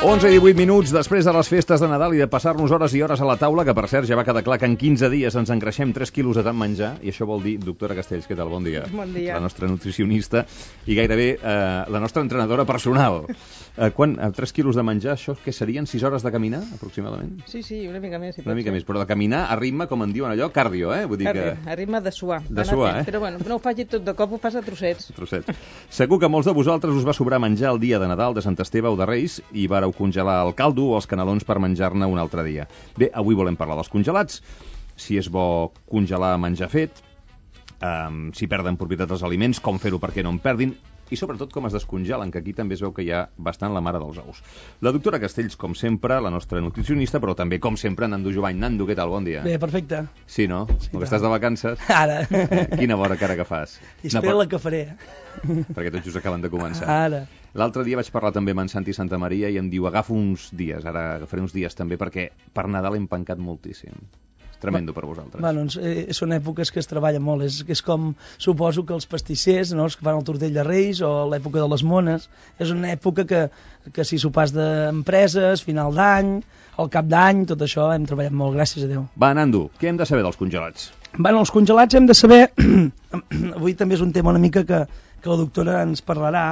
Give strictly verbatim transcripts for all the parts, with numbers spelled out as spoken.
onze i divuit minuts després de les festes de Nadal i de passar-nos hores i hores a la taula, que per cert ja va quedar clar que en quinze dies ens engreixem tres quilos de tant menjar, i això vol dir, doctora Castells, què tal? Bon dia. Bon dia. La nostra nutricionista i gairebé eh, la nostra entrenadora personal. Eh, quan, eh, tres quilos de menjar, això què serien? sis hores de caminar, aproximadament? Sí, sí, una mica més. Si una mica ser. més, però de caminar a ritme, com en diuen allò, cardio, eh? Vull dir cardio, que... a ritme de suar. De suar, eh? Però bueno, no ho faci tot de cop, ho fas a trossets. Trossets. Segur que molts de vosaltres us va sobrar menjar el dia de Nadal, de Sant Esteve o de Reis, i vareu congelar el caldo o els canelons per menjar-ne un altre dia. Bé, avui volem parlar dels congelats, si és bo congelar menjar fet, um, si perden propietat els aliments, com fer-ho perquè no en perdin, i sobretot com es descongelen, que aquí també es veu que hi ha bastant la mare dels ous. La doctora Castells, com sempre, la nostra nutricionista, però també, com sempre, Nando Jovany. Nando, què tal? Bon dia. Bé, perfecte. Sí, no? Sí, com que estàs de vacances. Ara. Eh, quina bona cara que fas. I espera la que faré. Perquè tots just acaben de començar. Ara. L'altre dia vaig parlar també amb en Santi Santa Maria i em diu, agafo uns dies, ara agafaré uns dies també, perquè per Nadal hem pencat moltíssim. És tremendo per vosaltres. Bueno, eh, són èpoques que es treballa molt. És, és com, suposo que els pastissers, no?, els que fan el tortell de Reis, o l'època de les mones, és una època que, que si sopars d'empreses, final d'any, al cap d'any, tot això hem treballat molt, gràcies a Déu. Va, Nando, què hem de saber dels congelats? Bueno, els congelats hem de saber... Avui també és un tema una mica que, que la doctora ens parlarà,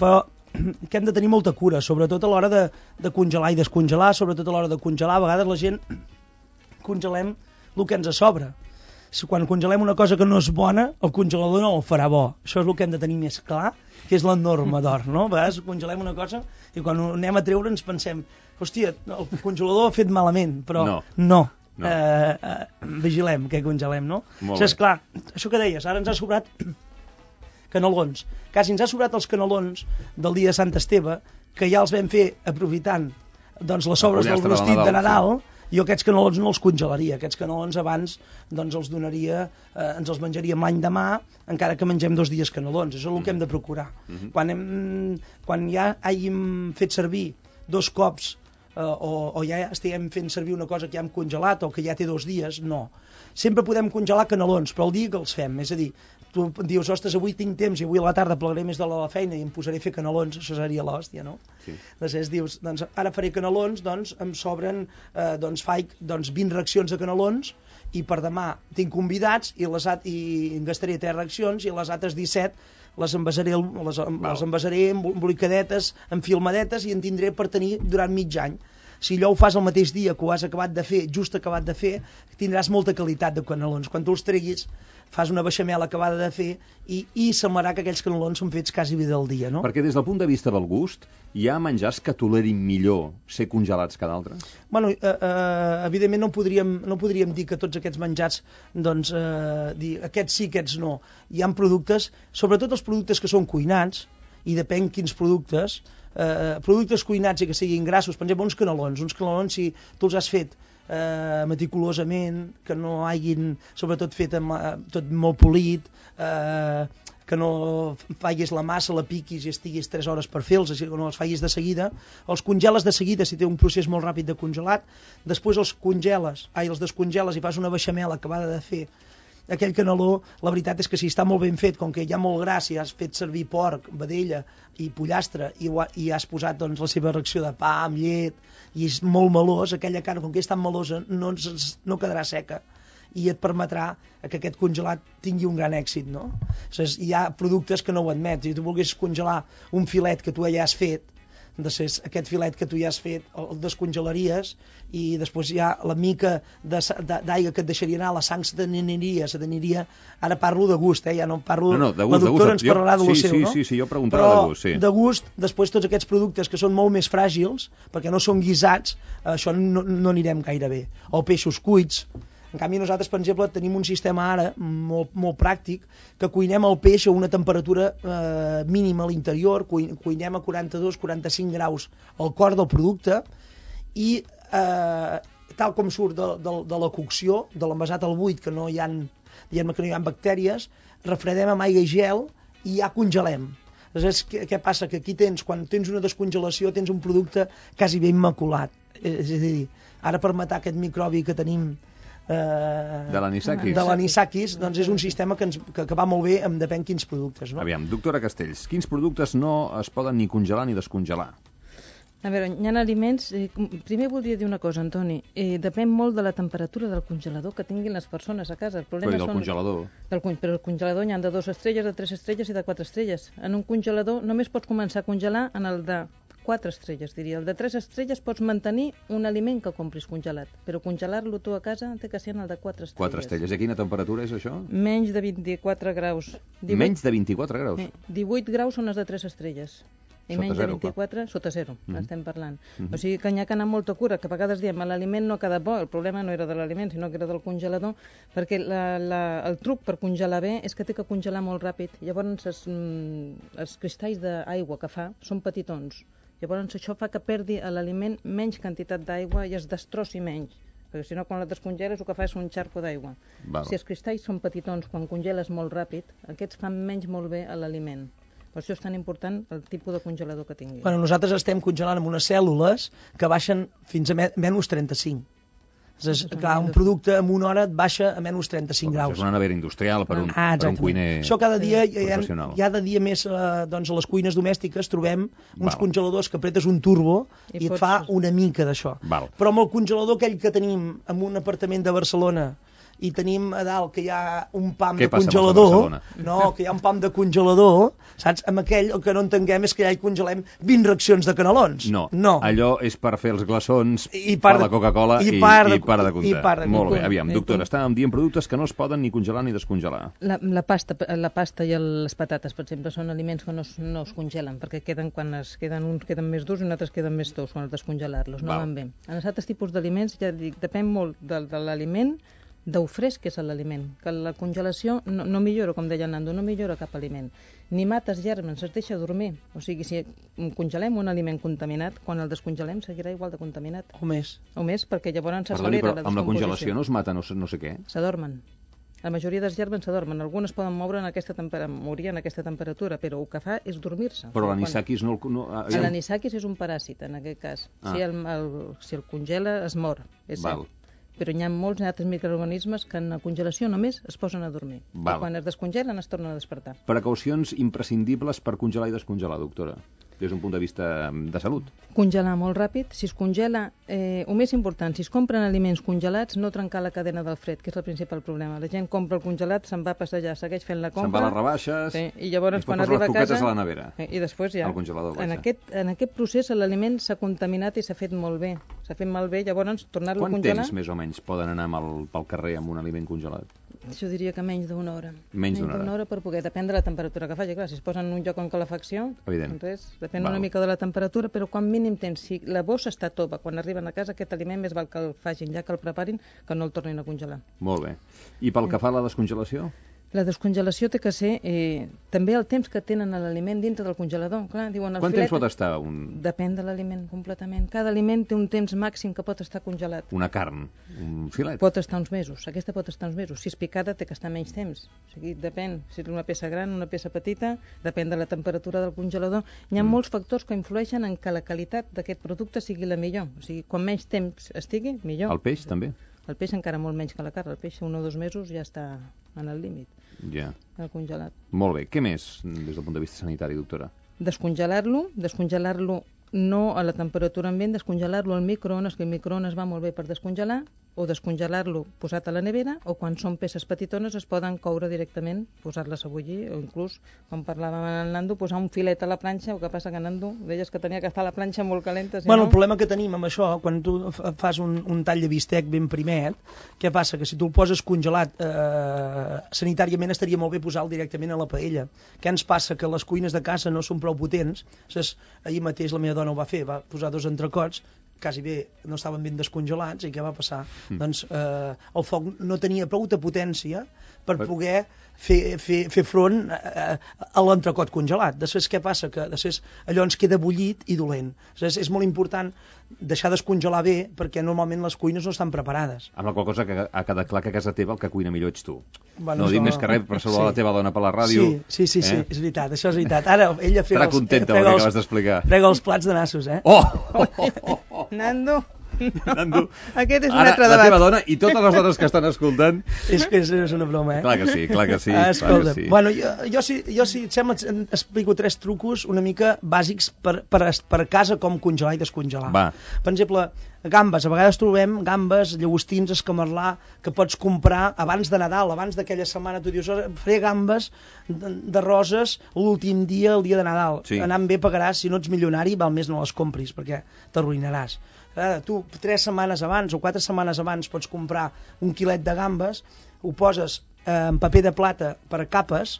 però que hem de tenir molta cura, sobretot a l'hora de, de congelar i descongelar, sobretot a l'hora de congelar. A vegades la gent congelem el que ens sobra. Quan congelem una cosa que no és bona, el congelador no el farà bo. Això és el que hem de tenir més clar, que és la norma d'or, no? A vegades congelem una cosa i quan ho anem a treure ens pensem, hòstia, el congelador ha fet malament, però no. no. no. Eh, eh, vigilem què congelem, no? Molt Això és clar, això que deies, ara ens ha sobrat canelons. Quasi ens ha sobrat els canelons del dia de Sant Esteve, que ja els vam fer aprofitant doncs, les sobres del rostit de Nadal, sí. Jo aquests canelons no els congelaria. Aquests canelons abans doncs, els donaria, eh, ens els menjaríem l'any demà, encara que mengem dos dies canelons. Això és el que hem de procurar. Mm-hmm. Quan, hem, quan ja hàgim fet servir dos cops eh, o, o ja estiguem fent servir una cosa que ja hem congelat o que ja té dos dies, no. Sempre podem congelar canelons, però el dia que els fem, és a dir, tu dius, ostres, avui tinc temps i avui a la tarda plegaré més de la feina i em posaré a fer canelons, això seria l'hòstia, no? Sí. Després dius, doncs ara faré canelons, doncs em sobren, eh, doncs faig doncs, vint racions de canelons i per demà tinc convidats i, les, i en gastaré tres racions i les altres disset les envasaré, les, les envasaré embolicadetes, enfilmadetes i en tindré per tenir durant mig any. Si allò ho fas el mateix dia que ho has acabat de fer, just acabat de fer, tindràs molta qualitat de canelons. Quan tu els treguis, fas una beixamel acabada de fer i, i semblarà que aquells canelons són fets quasi bé del dia, no? Perquè des del punt de vista del gust, hi ha menjars que tolerin millor ser congelats que d'altres? Bueno, eh, eh, evidentment no podríem, no podríem dir que tots aquests menjars, doncs, eh, dir aquests sí, aquests no. Hi ha productes, sobretot els productes que són cuinats, i depèn quins productes, eh, productes cuinats i que siguin grassos, per exemple, uns canelons, uns canelons si tu els has fet eh, meticulosament, que no hagin, sobretot fet amb, eh, tot molt polit, eh, que no facis la massa, la piquis i estiguis tres hores per fer-los, que no els facis de seguida, els congeles de seguida si té un procés molt ràpid de congelat, després els congeles, ai, els descongeles i fas una beixamel acabada de fer. Aquell caneló, la veritat és que si està molt ben fet, com que hi ha molt gras, si has fet servir porc, vedella i pollastre i, i has posat doncs, la seva reacció de pa amb llet i és molt melós, aquella carn, com que és tan melosa, no, ens, no quedarà seca i et permetrà que aquest congelat tingui un gran èxit, no? O sigui, hi ha productes que no ho admet. Si tu volguessis congelar un filet que tu ja has fet, després aquest filet que tu ja has fet el descongelaries i després hi ha la mica d'aigua que et deixaria anar, la sang se t'aniria, se t'aniria, ara parlo de gust, eh? Ja no parlo, no, no, de gust, la doctora de gust. ens parlarà de lo sí, seu, sí, no? Sí, sí, jo preguntava però de gust, sí. de gust, després tots aquests productes que són molt més fràgils, perquè no són guisats, això no, no anirem gaire bé, o peixos cuits. En canvi, nosaltres, per exemple, tenim un sistema ara molt, molt pràctic que cuinem el peix a una temperatura eh, mínima a l'interior, cuinem a quaranta-dos a quaranta-cinc graus al cor del producte i eh, tal com surt de, de, de la cocció, de l'envasat al buit, que no hi ha, diguem que no hi ha bactèries, refredem amb aigua i gel i ja congelem. Aleshores, què, què passa? Que aquí tens, quan tens una descongelació, tens un producte quasi ben immaculat. És a dir, ara per matar aquest microbi que tenim Eh, de l'anisakis. De l'anisakis, doncs és un sistema que, ens, que, que va molt bé amb depèn quins productes, no? Aviam, doctora Castells, quins productes no es poden ni congelar ni descongelar? A veure, hi ha aliments... Eh, primer voldria dir una cosa, Antoni. Eh, depèn molt de la temperatura del congelador que tinguin les persones a casa. El problema Però i del són... congelador? Del, però el congelador n'hi ha de dues estrelles, de tres estrelles i de quatre estrelles. En un congelador només pots començar a congelar en el de quatre estrelles, diria. El de tres estrelles pots mantenir un aliment que compris congelat, però congelar-lo tu a casa té que ser en el de quatre estrelles. quatre estrelles. I a quina temperatura és això? Menys de vint-i-quatre graus. divuit... Menys de vint-i-quatre graus? Eh, divuit graus són les de tres estrelles. I Sota menys zero, de vint-i-quatre, sota zero, Mhm. estem parlant. Mhm. O sigui que n'hi ha que anar amb molta cura, que a vegades diem l'aliment no ha quedat bo, el problema no era de l'aliment, sinó que era del congelador, perquè la, la, el truc per congelar bé és que té que congelar molt ràpid. Llavors els, mm, els cristalls d'aigua que fa són petitons. Llavors això fa que perdi a l'aliment menys quantitat d'aigua i es destrossi menys. Perquè si no, quan la descongeles, el que fa és un xarco d'aigua. Val. Si els cristalls són petitons, quan congeles molt ràpid, aquests fan menys molt bé a l'aliment. Per això és tan important el tipus de congelador que tingui. Bueno, nosaltres estem congelant amb unes cèl·lules que baixen fins a me menys trenta-cinc. És, clar, un producte en una hora et baixa a menys trenta-cinc graus. És una nevera industrial per un, ah, per un cuiner Això cada dia, sí. hi ha, professional. hi ha de dia més, eh, doncs a les cuines domèstiques trobem uns Val. congeladors que apretes un turbo i, I i pots... et fa una mica d'això. Però amb el congelador aquell que tenim en un apartament de Barcelona i tenim a dalt que hi ha un pam Què de passa congelador, amb els de no, que hi ha un pam de congelador, saps? Amb aquell el que no entenguem és que ja hi congelem vint racions de canelons. No, no. allò és per fer els glaçons, I per part la Coca-Cola i, i, part de, i para de comptar. I part de Molt bé, comptar. aviam, I doctora, tu? estàvem dient productes que no es poden ni congelar ni descongelar. La, la, pasta, la pasta i el, les patates, per exemple, són aliments que no es, no es congelen, perquè queden quan es queden uns queden més durs i uns altres queden més tous quan has de descongelar-los, no Val. van bé. En els altres tipus d'aliments, ja dic, depèn molt de, de l'aliment, d'ho fresc que és l'aliment, que la congelació no, no millora, com deia Nando, no millora cap aliment. Ni mates gèrmens, es deixa dormir. O sigui, si congelem un aliment contaminat, quan el descongelem seguirà igual de contaminat. O més. O més, perquè llavors Perdoni, s'accelera però la amb la descomposició. congelació no es mata no, sé- no sé què. S'adormen. La majoria dels gèrmens s'adormen. Algunes poden moure en aquesta tempera... morir en aquesta temperatura, però el que fa és dormir-se. Però Quan- l'anisakis no... no aviam. L'anisakis és un paràsit, en aquest cas. Ah. Si, el, el, si el congela, es mor. És Val. cert. Però hi ha molts altres microorganismes que en la congelació només es posen a dormir. Val. I quan es descongelen es tornen a despertar. Precaucions imprescindibles per congelar i descongelar, doctora, des d'un punt de vista de salut. Congelar molt ràpid. Si es congela, eh, el més important, si es compren aliments congelats, no trencar la cadena del fred, que és el principal problema. La gent compra el congelat, se'n va a passejar, segueix fent la compra... Se'n va a les rebaixes sí, i llavors i quan posa arriba les a casa... coquetes a la nevera. Eh, I després ja... Al congelador, en vaja. aquest, en aquest procés l'aliment s'ha contaminat i s'ha fet molt bé. S'ha fet malbé, llavors tornar-lo a Quant congelar... temps més o menys poden anar amb el, pel carrer amb un aliment congelat? Jo diria que menys d'una hora. Menys d'una hora. hora per poder, depèn de la temperatura que faci. Clar, si es posen en un lloc en calefacció, Evident. res, depèn Val. una mica de la temperatura, però quan mínim temps, si la bossa està tova, quan arriben a casa, aquest aliment més val que el facin, ja que el preparin, que no el tornin a congelar. Molt bé. I pel que fa a la descongelació? La descongelació té que ser eh, també el temps que tenen l'aliment dintre del congelador. Clar, diuen, el Quant filet... temps pot estar un... Depèn de l'aliment, completament. Cada aliment té un temps màxim que pot estar congelat. una carn, un filet? Pot estar uns mesos, aquesta pot estar uns mesos. Si és picada té que estar menys temps. O sigui, depèn, si és una peça gran, una peça petita, depèn de la temperatura del congelador. Hi ha Mm. molts factors que influeixen en que la qualitat d'aquest producte sigui la millor. O sigui, quan menys temps estigui, millor. El peix, també? El peix encara molt menys que la carn. El peix un o dos mesos ja està en el límit, Ja. el congelat. Molt bé. Què més, des del punt de vista sanitari, doctora? Descongelar-lo, descongelar-lo no a la temperatura ambient, descongelar-lo al microones, que el microones va molt bé per descongelar, o descongelar-lo posat a la nevera, o quan són peces petitones es poden coure directament, posar-les a bullir, o inclús, com parlàvem amb el Nando, posar un filet a la planxa, el que passa que Nando, deies que tenia que estar la planxa molt calenta, si Bueno, no... el problema que tenim amb això, quan tu fa- fas un, un tall de bistec ben primet, què passa? Que si tu el poses congelat, eh, sanitàriament estaria molt bé posar-lo directament a la paella. Què ens passa? Que les cuines de casa no són prou potents. Saps? Ahir mateix la meva dona ho va fer, va posar dos entrecots, quasi bé no estaven ben descongelats, i què va passar? Mm. Doncs eh, el foc no tenia prou de potència per Per- poder fer, fer, fer front a, a l'entrecot congelat. Després què passa? Que després allò ens queda bullit i dolent. És, és molt important deixar descongelar bé, perquè normalment les cuines no estan preparades. Amb la qual cosa que ha quedat clar que a casa teva el que cuina millor ets tu. Bueno, no dic això- més que res per saludar sí. la teva dona per la ràdio. Sí, sí, sí, sí, eh? és veritat, això és veritat. Ara ella frega Estarà els, contenta frega del que els- acabes d'explicar. frega els plats de nassos, eh? Oh! oh, oh, oh. Nando, Nando, Aquest és un ara, altre la debat. teva dona i totes les dones que estan escoltant... És que és, és una broma, eh? Clar que sí, clar que sí. Ah, escolta, clar que sí. bueno, jo, jo, si, jo si et sembla, et explico tres trucos una mica bàsics per, per, per casa com congelar i descongelar. Va. Per exemple, gambes. A vegades trobem gambes, llagostins, escamarlà, que pots comprar abans de Nadal, abans d'aquella setmana. Tu dius, faré gambes de, de roses l'últim dia, el dia de Nadal. Sí. Anant bé pagaràs, si no ets milionari, val més no les compris, perquè t'arruïnaràs. Ara, tu, tres setmanes abans o quatre setmanes abans pots comprar un quilet de gambes, ho poses eh, en paper de plata per capes,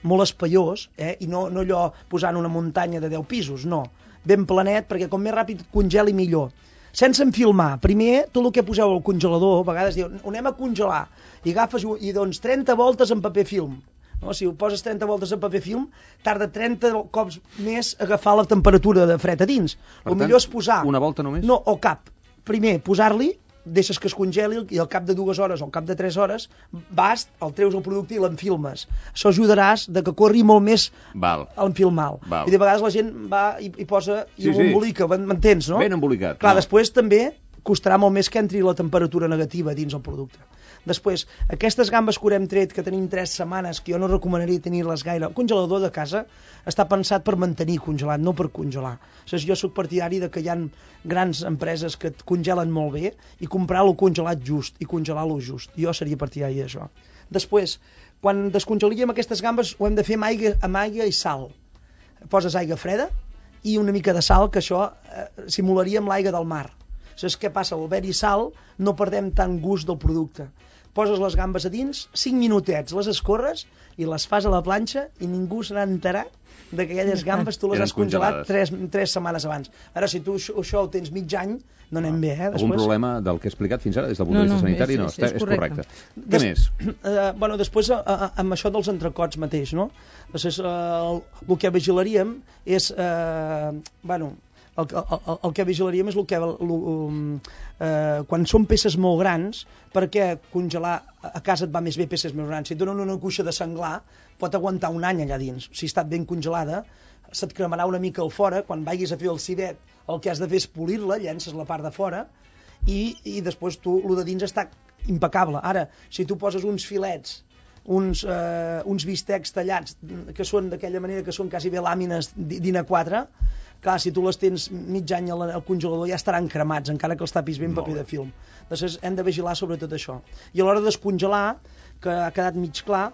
molt espaiós, eh? I no, no allò posant una muntanya de deu pisos, no. Ben planet, perquè com més ràpid congeli millor. Sense enfilmar. Primer, tot el que poseu al congelador, a vegades diu, ho anem a congelar, i agafes i doncs trenta voltes en paper film. No? Si ho poses trenta voltes en paper film, tarda trenta cops més agafar la temperatura de fred a dins. Per el tant, millor és posar... una volta només? No, o cap. Primer, posar-li, deixes que es congeli i al cap de dues hores o al cap de tres hores vas, el treus el producte i l'enfilmes. Això ajudaràs de que corri molt més Val. enfilmar-lo. Val. I de vegades la gent va i, i posa i Sí, ho sí. embolica, m'entens, no? Ben embolicat. Clar, no. després també costarà molt més que entri la temperatura negativa dins el producte. Després, aquestes gambes que haurem tret, que tenim tres setmanes, que jo no recomanaria tenir-les gaire, el congelador de casa està pensat per mantenir congelat, no per congelar. O sigui, jo sóc partidari de que hi ha grans empreses que et congelen molt bé i comprar-lo congelat just i congelar-lo just. Jo seria partidari d'això. Després, quan descongelaríem aquestes gambes, ho hem de fer amb aigua, amb aigua i sal. Poses aigua freda i una mica de sal, que això eh, simularia amb l'aigua del mar. Saps què passa? Al haver-hi sal no perdem tant gust del producte. Poses les gambes a dins, cinc minutets, les escorres i les fas a la planxa i ningú se n'ha enterat de que aquelles gambes tu les Eren has congelat congelades. tres, tres setmanes abans. Ara, si tu això, això ho tens mig any, no anem bé, eh? Algun Després... problema del que he explicat fins ara des del punt No, de vista no, sanitari? és- No, és- està- és és correcte. correcte. Què més? Eh, bueno, després, eh, eh, amb això dels entrecots mateix, no? Després, eh, el, el que vigilaríem és... Eh, bueno, el, el, el que vigilaríem és el que... El, el, eh, quan són peces molt grans, perquè congelar a casa et va més bé peces més grans. Si et donen una cuixa de senglar, pot aguantar un any allà dins. Si està ben congelada, se't cremarà una mica al fora. Quan vagis a fer el civet, el que has de fer és polir-la, llences la part de fora, i, i després tu, el de dins està impecable. Ara, si tu poses uns filets, uns, eh, uns bistecs tallats, que són d'aquella manera que són quasi bé làmines d'I N A quatre, clar, si tu les tens mig any al, al congelador ja estaran cremats, encara que els tapis ben paper de film. Després hem de vigilar sobretot això. I a l'hora de descongelar, que ha quedat mig clar,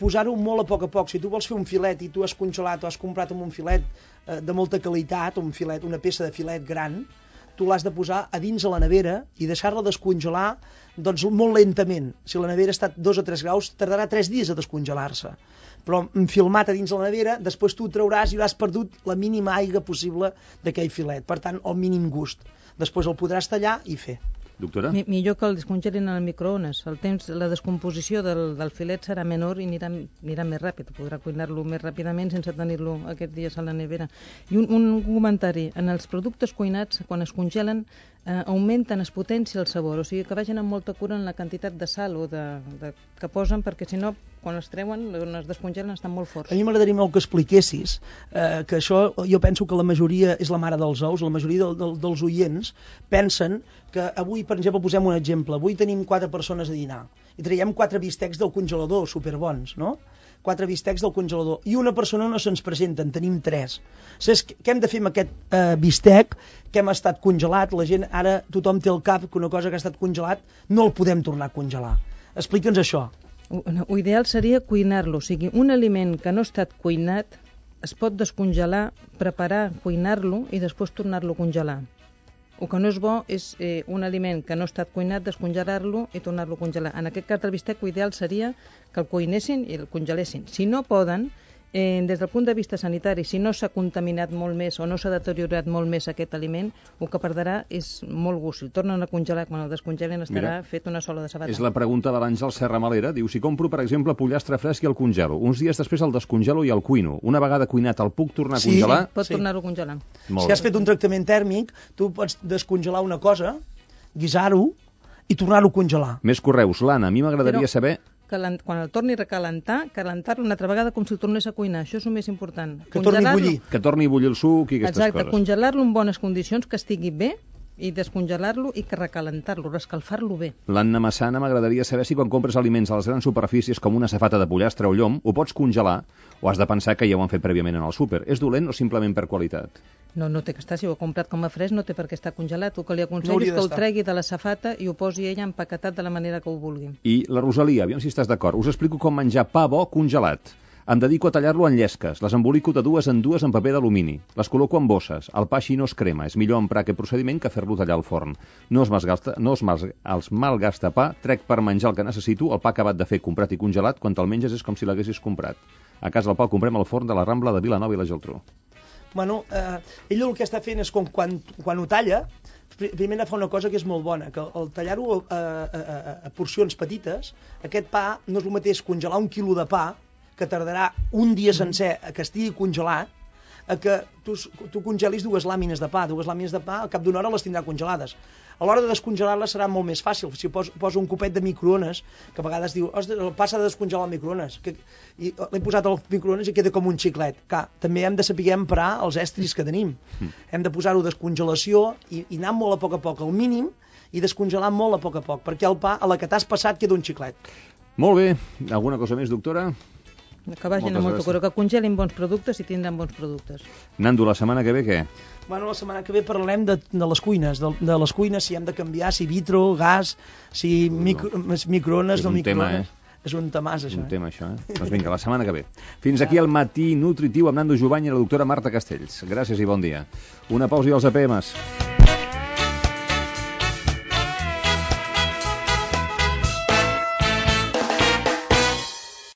posar-ho molt a poc a poc. Si tu vols fer un filet i tu has congelat o has comprat un filet eh, de molta qualitat, un filet, una peça de filet gran, tu l'has de posar a dins a la nevera i deixar-la descongelar doncs, molt lentament. Si la nevera està a dos o tres graus, tardarà tres dies a descongelar-se. Però filmat a dins la nevera, després tu ho trauràs i hauràs perdut la mínima aigua possible d'aquell filet. Per tant, el mínim gust. Després el podràs tallar i fer. Doctora? Mi- Millor que el descongelin al microones. El temps, la descomposició del, del filet serà menor i anirà, anirà més ràpid. Podrà cuinar-lo més ràpidament sense tenir-lo aquests dies a la nevera. I un, un comentari. En els productes cuinats, quan es congelen, eh, augmenten, es potencia el sabor. O sigui que vagin amb molta cura en la quantitat de sal o de, de, que posen, perquè si no, quan es treuen, quan es descongelen, estan molt forts. A mi m'agradaria molt que expliquessis eh, que això, jo penso que la majoria és la mare dels ous, la majoria del, del, dels oients pensen que avui, per exemple, posem un exemple, avui tenim quatre persones a dinar i traiem quatre bistecs del congelador, superbons, no? Quatre bistecs del congelador i una persona no se'ns presenta, en tenim tres. Saps què hem de fer amb aquest eh, bistec que hem estat congelat? La gent, ara tothom té al cap que una cosa que ha estat congelat no el podem tornar a congelar. Explica'ns això. Ho ideal seria cuinar-lo, o sigui, un aliment que no ha estat cuinat es pot descongelar, preparar, cuinar-lo i després tornar-lo a congelar. El que no és bo és eh, un aliment que no ha estat cuinat, descongelar-lo i tornar-lo a congelar. En aquest cas del bistec, l'ideal seria que el cuinessin i el congelessin. Si no poden, eh, des del punt de vista sanitari, si no s'ha contaminat molt més o no s'ha deteriorat molt més aquest aliment, el que perdrà és molt gust. Si el tornen a congelar, quan el descongelen estarà Mira, fet una sola de sabata. És la pregunta de l'Àngel Serra Malera. Diu, si compro, per exemple, pollastre fresc i el congelo, uns dies després el descongelo i el cuino. Una vegada cuinat, el puc tornar a Sí. congelar? Pot Sí. tornar-ho a congelar. Molt Si has bé. fet un tractament tèrmic, tu pots descongelar una cosa, guisar-ho i tornar-ho a congelar. Més correus. L'Anna, a mi m'agradaria Però- saber... Calent, quan el torni a recalentar, calentar-lo una altra vegada com si el tornés a cuinar. Això és el més important. Que torni a Congelar-lo- bullir. Que torni a bullir el suc i aquestes Exacte, coses. congelar-lo en bones condicions, que estigui bé, i descongelar-lo i que recalentar-lo, rescalfar-lo bé. L'Anna Massana, m'agradaria saber si quan compres aliments a les grans superfícies com una safata de pollastre o llom, ho pots congelar o has de pensar que ja ho han fet prèviament en el súper. És dolent o simplement per qualitat? No, no té que estar. Si ho ha comprat com a fresc, no té per què estar congelat. El que li No aconsello hauria és que ho d'estar. tregui de la safata i ho posi ella empaquetat de la manera que ho vulgui. I la Rosalia, aviam si estàs d'acord. Us explico com menjar pa bo congelat. Em dedico a tallar-lo en llesques, les embolico de dues en dues en paper d'alumini, les col·loco en bosses, el pa així no es crema, és millor emprar aquest procediment que fer-lo tallar al forn. No es malgasta, no es mal, els malgasta pa, trec per menjar el que necessito, el pa acabat de fer, comprat i congelat, quan te'l menges és com si l'haguessis comprat. A casa el pa el comprem al forn de la Rambla de Vilanova i la Geltrú. Bueno, eh, ell el que està fent és com quan, quan ho talla, primer fa una cosa que és molt bona, que al tallar-ho a, a, a, a porcions petites, aquest pa no és el mateix congelar un quilo de pa, que tardarà un dia sencer a que estigui congelat, a que tu, tu congelis dues làmines de pa. Dues làmines de pa, al cap d'una hora les tindrà congelades. A l'hora de descongelar-les serà molt més fàcil. Si poso, poso un copet de microones, que a vegades diu, el pa s'ha de descongelar al microones, que, i l'he posat al microones i queda com un xiclet. Clar, també hem de saber emprar els estris que tenim. Mm. Hem de posar-ho de descongelació i, i anar molt a poc a poc, al mínim, i descongelar molt a poc a poc, perquè el pa, a la que t'has passat, queda un xiclet. Molt bé. Alguna cosa més, doctora? Que vagin Moltes a molt gràcies. cura, que congelin bons productes i tindran bons productes. Nando, la setmana que ve què? Bueno, la setmana que ve parlarem de, de les cuines, de, de les cuines, si hem de canviar, si vitro, gas, si micro, microones, És no un tema, microones. eh? És un temàs, És això. un tema, això, eh? Doncs vinga, la setmana que ve. Fins aquí el matí nutritiu amb Nando Jubany i la doctora Marta Castells. Gràcies i bon dia. Una pausa i els A P Ms.